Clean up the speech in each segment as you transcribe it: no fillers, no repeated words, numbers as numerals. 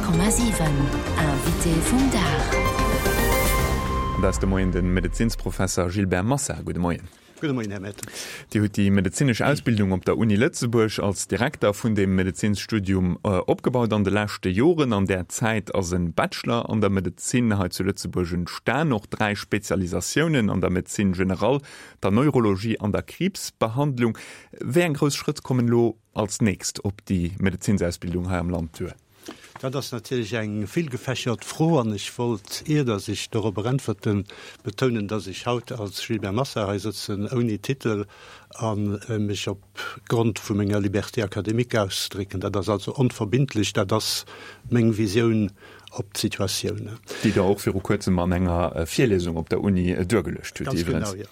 100,7 Invité vum Dag. An dat ass de Moien de Medezinsprofesser Gilbert Massa. Gudde Moien. Gudde Moien, Här Mertens. Dir hutt déi medezinesch Ausbildung op der Uni Lëtzebuerg als Direkter vun dem Medezinsstudium opgebaut an de leschte Joren. An där Zäit ass e Bachelor an der Medezin hei zu Lëtzebuerg entstan, och 3 Spezialisatiounen an der Médecine générale, der Neurologie an der Kriibsbehandlung. Wéi eng grouss Schrëtt kommen elo als nächst op déi Medezinsausbildung hei am Land duer? Dat ass natierlech eng villgefächert Fro an ech wollt, ier datt ech dorobber äntwerten, betounen, datt ech haut als Gilbert Massa hei sëtzen, ouni Titel, a mech op Grond vu menger Liberté académique ausdrécken. Dat ass also onverbindlech, dat ass meng Visioun op d'Situatioun. Déi Der och viru Kuerzem an enger Virliesung op der Uni duergeluecht hutt Ganz genau, jo.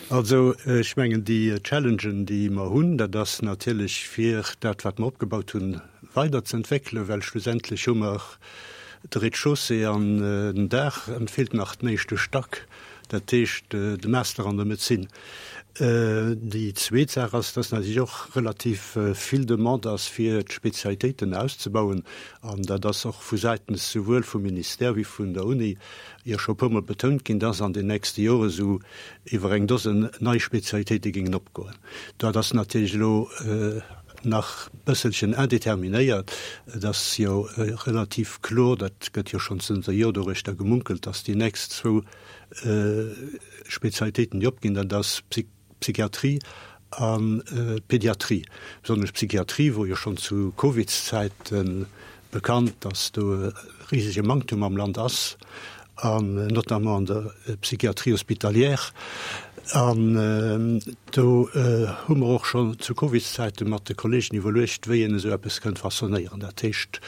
Also, ech mengen, déi Challengen, déi mer hunn, dat ass natierlech fir dat, wat mer opgebaut hunn, weiderzeentwéckelen, well schlussendlech hu mer de Rez-de-chaussée an den Daach, an et feelt nach den éischte Stack, dat heescht de Master an der Medezin. Déi zweet Saach ass, dass natierlech och relativ vill Demande ass, fir d'Spezialitéiten auszebauen. An dat ass och vu säitens souwuel vum Ministère wéi vun der Uni jo scho e puermol betount ginn, dass an den nächste Jore sou iwwer eng Dosen nei Spezialitéite géingen opgoen. Dat ass natierlech elo nach bësselchen indeterminéiert. Et ass jo relativ kloer, dat gëtt jo schonn zënter Jor doruechter gemunkelt, dass déi nächst zwou Spezialitéiten, déi opginn, dat ass d'Psychiatrie an d'Pediatrie. Besonnesch d'Psychiatrie wor jo schonn zu Covidszäite bekannt, dass do e risege Manktum am Land ass, an notamment an der Psychiatrie hospitalière. An do hu mer och schonn zu Covidszäite mat de Kollegen iwwerluecht, wéi een esou eppes kënnt façonnéieren. Dat heescht,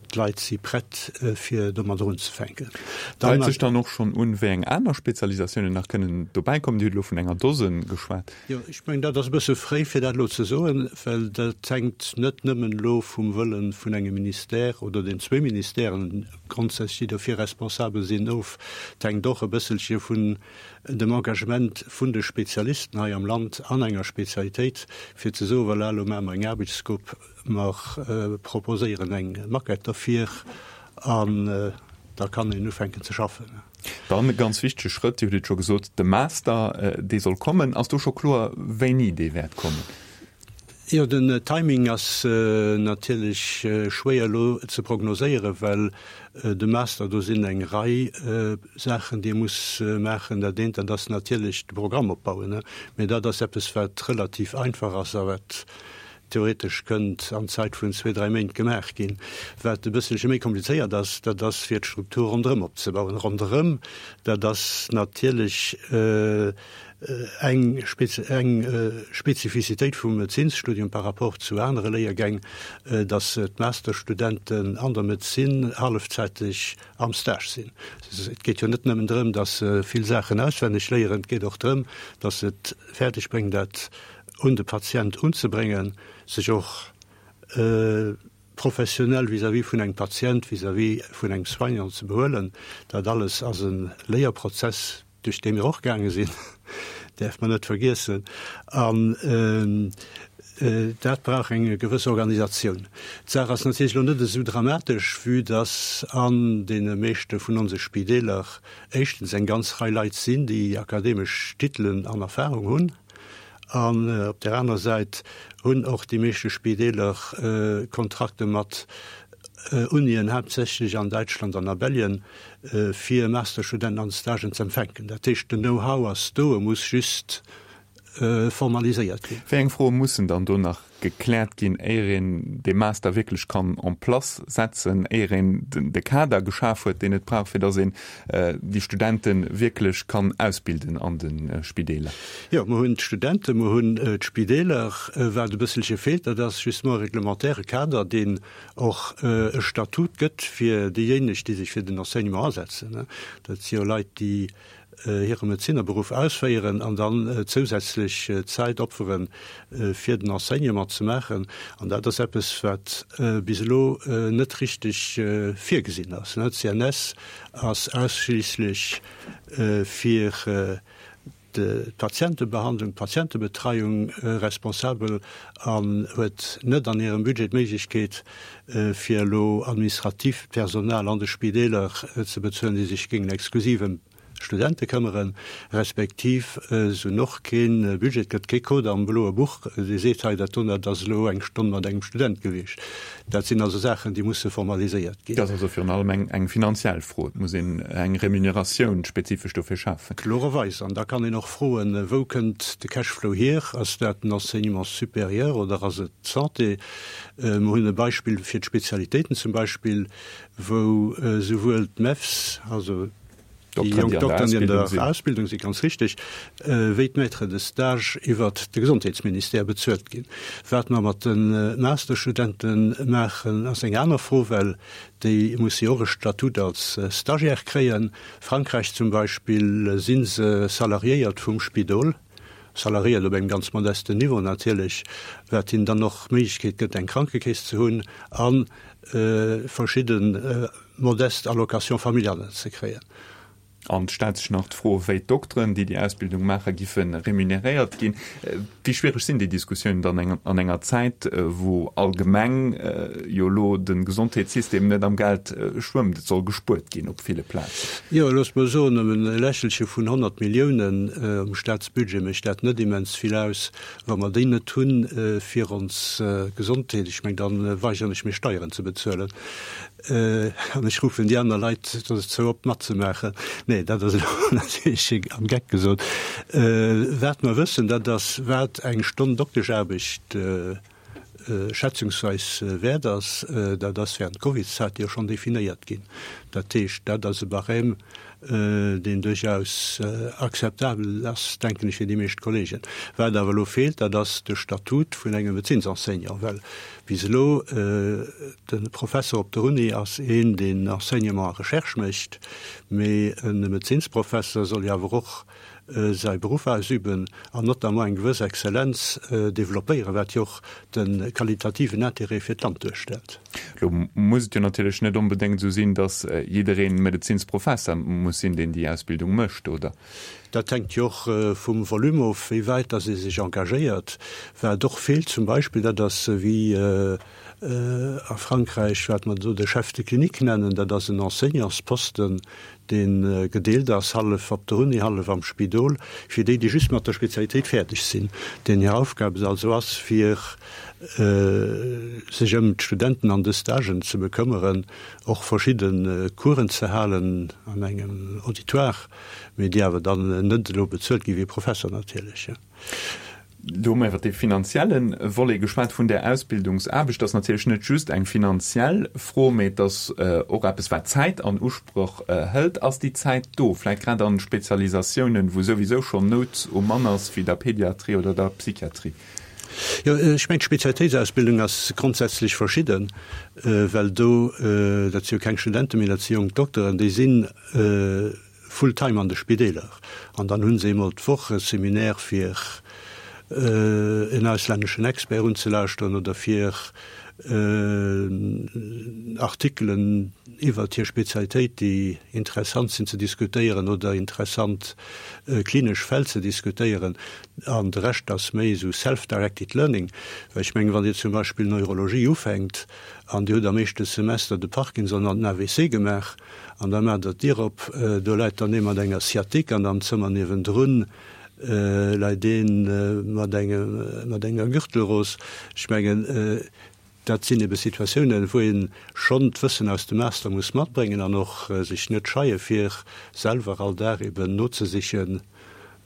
D'Leit si prett, fir domadder unzefänken. Deit sech dann och schonn un, wéi eng aner Spezialisatiounen nach kënnen dobäi kommen? Dir hutt elo vun enger Dosen geschwat. Jo, ech mengen, dat ass e bësse fréi, fir dat elo ze soen, well dat hänkt net nëmmen elo vum Wëlle vun engem Ministère oder den zwee Ministèren grondsätzlech, déi dofir responsabel sinn, of. Et hänkt och e bësselche vun dem Engagement vun de Spezialisten hei am Land an enger Spezialitéit, fir ze soen, Voilà, elo maache mer eng Aarbechtsgrupp, Mer proposéieren eng Maquette derfir an da kann een ufänken ze schaffen. Dann e ganz wichtege Schrëtt, Dir hutt et scho gesot, de Master, dee soll kommen. Ass do scho kloer, wéini dee wäert kommen? Jo, den Timing ass natierlech schwéier elo ze prognoséieren, well de Master, do sinn eng Rei Saachen, déi ee muss maachen. Dat eent, dat ass natierlech de Programm opbauen, mee dat ass eppes, wat relativ einfach ass a wat theoretesch kënnt an Zäit vun zwee, dräi Méint gemaach ginn. Wat e bësselche méi komplizéiert ass, dat ass fir d'Struktur ronderëm opzebauen. Ronderëm, dat ass natierlech eng eng Spezifizitéit vum Medezinsstudium par rapport zu anere Léiergäng, datt d'Masterstudenten an der Medezin hallefzäiteg am Stage sinn. Et geet jo net nëmmen drëm, datt se vill Saachen auswenneg léieren, et geet och drëm, datt se et fäerdeg bréngen, dat un de Patient unzebréngen, sech och professionell vis-à-vis vun engem Patient, vis-à-vis vun engem Soignant ze behuelen. Dat alles ass e Léierprozess, duerch dee mir och gaange sinn, däerf mer net vergiessen. An dat brauch eng gewëss Organisatioun. D'Saach ass natierlech elo net esou dramatesch, vue dass an deene meeschte vun onse Spideeler éischtens eng ganz Rei Leit sinn, déi akademesch Titelen an Erfahrung hunn, An op där aner Säit hunn och déi meeschte Spideeler Kontrakte mat Unien, haaptsächlech an Däitschland an a Belgien, fir Masterstudenten an Stagen z'empfänken. Dat heescht, den Know-how ass do, e muss just formaliséiert ginn. Wéi eng Froe mussen dann do nach gekläert ginn, éier een dee Master wierklech kann en place setzen, éier een de Kader geschaf huet, deen et brauch, fir datt een déi Studente wierklech kann ausbilden an de Spideeler? Jo, mer hunn d'Studenten, mer hunn d'Spideeler. Wat e bësselche feelt, dat ass justement e reglementaire Kader, deen och e Statut gëtt fir déijéineg, déi sech fir den Enseignement asetzen. Dat si jo Leit, déi hire Medezinerberuff ausféieren an dann zousätzlech Zäit opferen, fir den Enseignement ze maachen. An dat ass eppes, wat bis elo net richteg virgesinn ass. D'CNS ass ausschliisslech fir. d'Patientebehandlung, d'Patientebetreiung responsabel an huet net an hirem Budget d'Méiglechkeet, fir elo administratiivt Personal an de Spideeler ze bezuelen, déi sech géingen exklusiv ëm Studente këmmeren, respektiv se hunn och kee Budget, et gëtt kee Code am bloe Buch, dee seet, hei dat do, dat ass elo eng Stonn mat engem Student gewiescht. Dat sinn also Saachen, déi musse formaliséiert ginn. Dat ass also virun allem eng finanziell Fro. Et muss een eng Remuneratioun spezifesch dofir schafen. Klorerweis. An da kann een och froen, Wou kënnt de Cashflow hier? Ass dat den Enseignement supérieur oder ass et d'Santé? Mer hunn e Beispill fir d'Spezialitéiten zum Beispill, wou souwuel d'MEFs, also Déi jonk Dokteren, déi an der Ausbildung sinn, ganz richteg, wéi d'Maîtres de stage iwwert de Gesondheetsministère bezuelt ginn. Wat mer mat de Masterstudente maachen, ass eng aner Fro, well déi musse jo och e Statut als Stagiaire kréien. Frankräich zum Beispill si se salariéiert vum Spidol, salariéiert op engem ganz modesten Niveau natierlech, wat hinnen dann och d'Méiglechkeet gëtt, eng Krankekeess ze hunn a verschidde modest Allocations familiales ze kréien. An et stellt sech nach d'Fro, wéi d'Dokteren, déi déi Ausbildung maachen, giffe remuneréiert ginn. Wéi schwiereg sinn déi Diskussiounen dann an enger Zäit, wou allgemeng jo elo de Gesondheetssystem net am Geld schwëmmt? Et soll gespuert ginn op ville Plazen. Jo, loosst mer soen, ëm e Lächelche vun 100 Milliounen um Staatsbudget mécht dat net immens vill aus. Wa mer déi net hunn fir ons Gesondheet, ech meng, da weigeren ech mech Steieren ze bezuelen. An ech ruffen déi aner Leit dozou op, matzemaachen. Nee, dat ass elo natierlech am Geck gesot. Wat mer wëssen, dat ass, wat eng Stonn Dokteschaarbecht schätzungsweis wäert ass. Dat ass während Covidzäit jo schonn definéiert ginn. Dat heescht, dat ass e Barème, deen duerchaus akzeptabel ass, denken ech, fir déi meescht Kollegen. Wat awer elo feelt, dat ass de Statut vun engem Medezinsenseignant, well bis elo de Professer op der Uni ass een, deen Enseignement a Recherche mécht, mee e Medezinsprofesser soll jo awer och säi Beruff ausüben an notamment eng gewëss Exzellenz développéieren, wat jo och de qualitativen Intérêt fir d'Land duerstellt. Elo muss et jo natierlech net onbedéngt esou sinn, datt jidderee Medezinsprofesser muss sinn, deen déi Ausbildung mécht, oder? Dat hänkt jo och vum Volume of, wéi wäit datt ee sech engagéiert. Wat och feelt zum Beispill, dat ass wéi a Frankräich, wat mer do de Chef de clinique nennen, dat ass en Enseignantsposten, dee gedeelt ass, hallef op der Uni, hallef am Spidol, fir déi, déi just mat der Spezialitéit fäerdeg sinn, deenen hir Aufgab et also ass, fir sech ëm d'Studenten an de Stagen ze bekëmmeren, och verschidde Coursen ze halen an engem Auditoire, mee déi awer dann net elo bezuelt gi wéi e Professer natierlech. Do hu mer iwwer dee finanzielle Volet geschwat vun där Ausbildungsaarbecht. Dat ass natierlech net just eng finanziell Fro, mee et ass och eppes, wat Zäit an Usproch hëlt. Ass déi Zäit do, vläicht grad an Spezialisatiounen, wou souwisou schonn Nout um Mann ass, wéi der Pediatrie oder der Psychiatrie? Jo, ech mengen, d'Spezialitéitsausbildung ass grondsätzlech verschidden, well do, dat si jo keng Studenten, mee dat si jonk Dokteren, déi sinn, full time an de Spideeler an dann hu se eemol d'Woch e Seminaire fir en auslänneschen Expert unzelauschteren oder fir Artikelen iwwert hir Spezialitéit, déi interessant sinn, ze diskutéieren oder interessant klinesch Fäll ze diskutéieren. An de Rescht ass méi esou self-directed learning, well ech mengen, wann Dir zum Beispill Neurologie ufänkt an Dir hutt am éischte Semester de Parkinson an den AVC gemaach, An da maacht der d'Dier op, do läit dann ee mat enger Sciatique an am Zëmmer niewendrun läit ee mat engem, mat enger Gürtelros. Ech mengen, dat sinn ebe Situatiounen, wou ee schonn d'Wëssen aus dem Master muss matbréngen an och sech net scheie fir selwer all Dag eben nozesichen.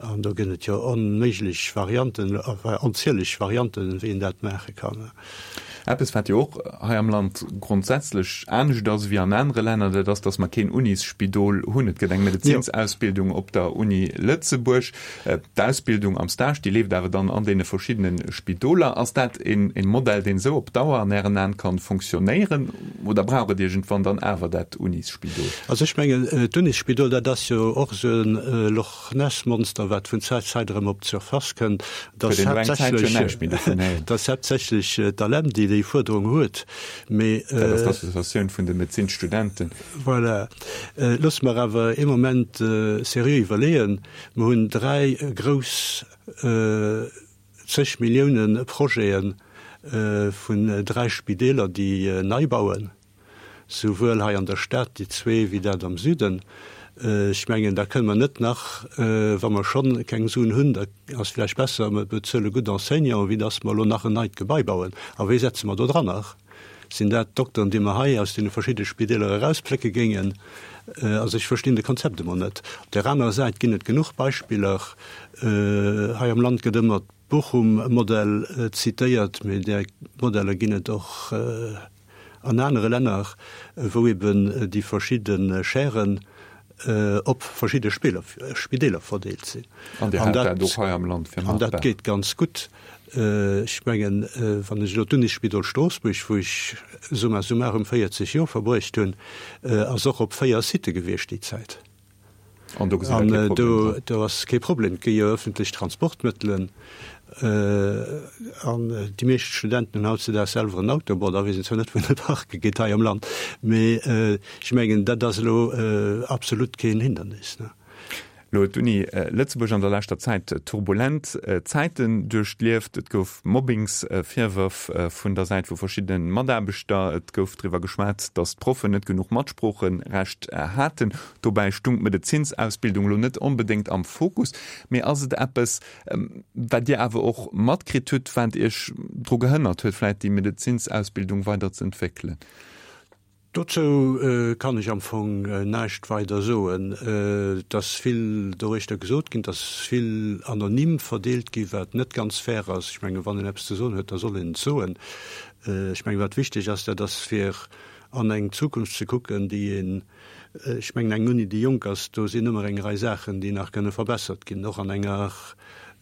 An do gëtt et jo onméiglech Varianten, enfin onzieleg Varianten, wéi een dat maache kann. Eppes, wat jo och hei am Land grondsätzlech anescht ass ewéi an anere Länner, dat ass, dass mer keen Unisspidol hunn. Et gëtt eng Medezinsausbildung op der Uni Lëtzebuerg. D'Ausbildung am Stage, déi leeft awer dann an deene verschiddene Spidoler. Ass dat e Modell, deen esou op Dauer an Ären Aen ka fonctionnéieren? Oder brauch et iergendwann dann awer dat Unisspidol? Also ech mengen, d'Unisspidol, dat ass jo och esou e Loch Ness Monster, wat vun Zäit zu Zäit erëm op d'Surface kënnt. Et ass haaptsächlech, et ass haaptsächlech d'ALEM, déi déi Fuerderung huet, mee. Dat ass d'Associatioun vun de Medezinsstudenten. Voilà. Loosse mer awer ee Moment seriö iwwerleeën. Mer hunn 3 grouss, zeg Millioune Projete vun 3 Spideeler, déi nei bauen, souwuel hei an der Stad, déi zwee, wéi dat am Süden. Ech mengen, da kënne mer net nach, wa mer schonn keng Suen hunn, da ass vläicht besser, mer bezuele gutt Enseignanten, wéi dass mer elo nach en neit Gebai bauen. A wéi setze mer do dran nach? Sinn dat d'Dokteren, déi mer hei aus deene verschidde Spideeler erausplécke géingen? Also ech verstinn de Konzept emol net. Op där anerer Säit ginn et genuch Beispiller. Hei am Land gëtt ëmmer d'Bochum-Modell zitéiert, mee där Modeller ginn et och an anere Länner, wou eben déi verschidde Chairen op verschidde Spideeler verdeelt sinn. An Dir hat dat och hei am Land fir machbar. An dat geet ganz gutt. Ech mengen, wann ech elo d'Unisspidol Stroossbuerg, wou ech summa summarum 40 Joer verbruecht hunn, ass och op 4 Sitte gewiescht déi Zäit. An do gesitt Der kee Problem dran? Do ass kee Problem. Et gi jo ëffentlech Transportmëttelen an déi meescht Studenten hunn hautzedaags selwer en Auto. Bon, da weess een zwar net, wou en e parke geet hei am Land, mee ech mengen, dat ass elo absolut keen Hindernis. Elo huet d'Uni Lëtzebuerg an der leschter Zäit turbulent Zäiten duerchlieft. Et gouf Mobbingsvirwërf vun der Säit vu verschiddene Mataarbechter. Et gouf driwwer geschwat, datt d'Proffen net genuch Matsproocherecht haten. Dobäi stung d'Medezinsausbildung elo net onbedéngt am Fokus. Mee ass et eppes, wat Dir awer och matkritt hutt, wat Iech dru gehënnert huet, vläicht déi Medezinsausbildung weider ze entwéckelen? Dozou kann ech am Fong näischt weider soen. Et ass vill doruechter gesot ginn, et ass vill anonym verdeelt ginn, wat net ganz fair ass. Ech mengen, wann een eppes ze soen huet, da soll een et soen. Ech mengen, wat wichteg ass, dat ass fir an eng Zukunft ze kucken, déi een, Ech mengen, eng Uni, déi jonk ass, do sinn ëmmer eng Rei Saachen, déi nach kënne verbessert ginn. Och an enger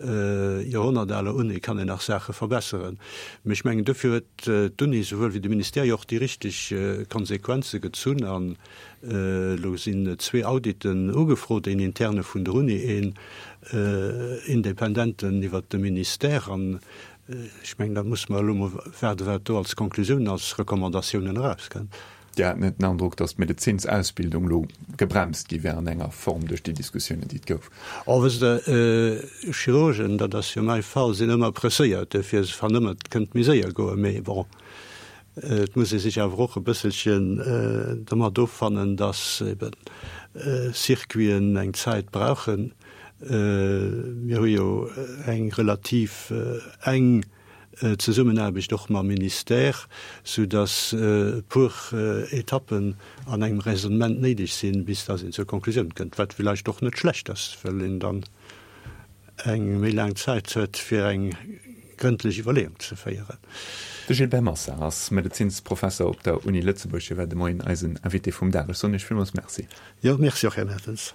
joerhonnertaler Uni kann een nach Saache verbesseren. Mee ech mengen, dofir huet d'Uni souwuel wéi de Ministère jo och déi richteg Konsequenze gezunn. An elo sinn zwee Auditen ugefrot, een interne vun der Uni, een independenten iwwert de Ministère. An ech mengen, da musse mer elo mol waarden, wat do als Konklusioun, als Recommandatiounen erauskënnt. Dir hat net den Androck, datt d'Medezinsausbildung elo gebremst gi wär an enger Form duerch déi Diskussiounen, déi et gouf? Oh, wësst Der, Chirurgen, dat ass jo mäi Fall, sinn ëmmer presséiert, duerfir se fannen ëmmer, et kënnt méi séier goen. Mee bon, et muss ee sech awer och e bësselchen domat offannen, datt ebe Circuiten eng Zäit brauchen. Mir hu jo eng relativ eng Zesummenaarbecht och mam Ministère, sou datt e puer Etappen an engem Raisonnement néideg sinn, bis datt een zur Konklusioun kënnt, wat villäicht och net schlecht ass, well een dann eng méi laang Zäit huet, fir eng grëndlech Iwwerleeung ze féieren. De Gilbert Massa ass Medezinsprofesser op der Uni Lëtzebuerg. Hie war de Moien eisen Invité vum Dag. Ech soen Iech villmools Merci. Jo, Merci och, Här Mertens.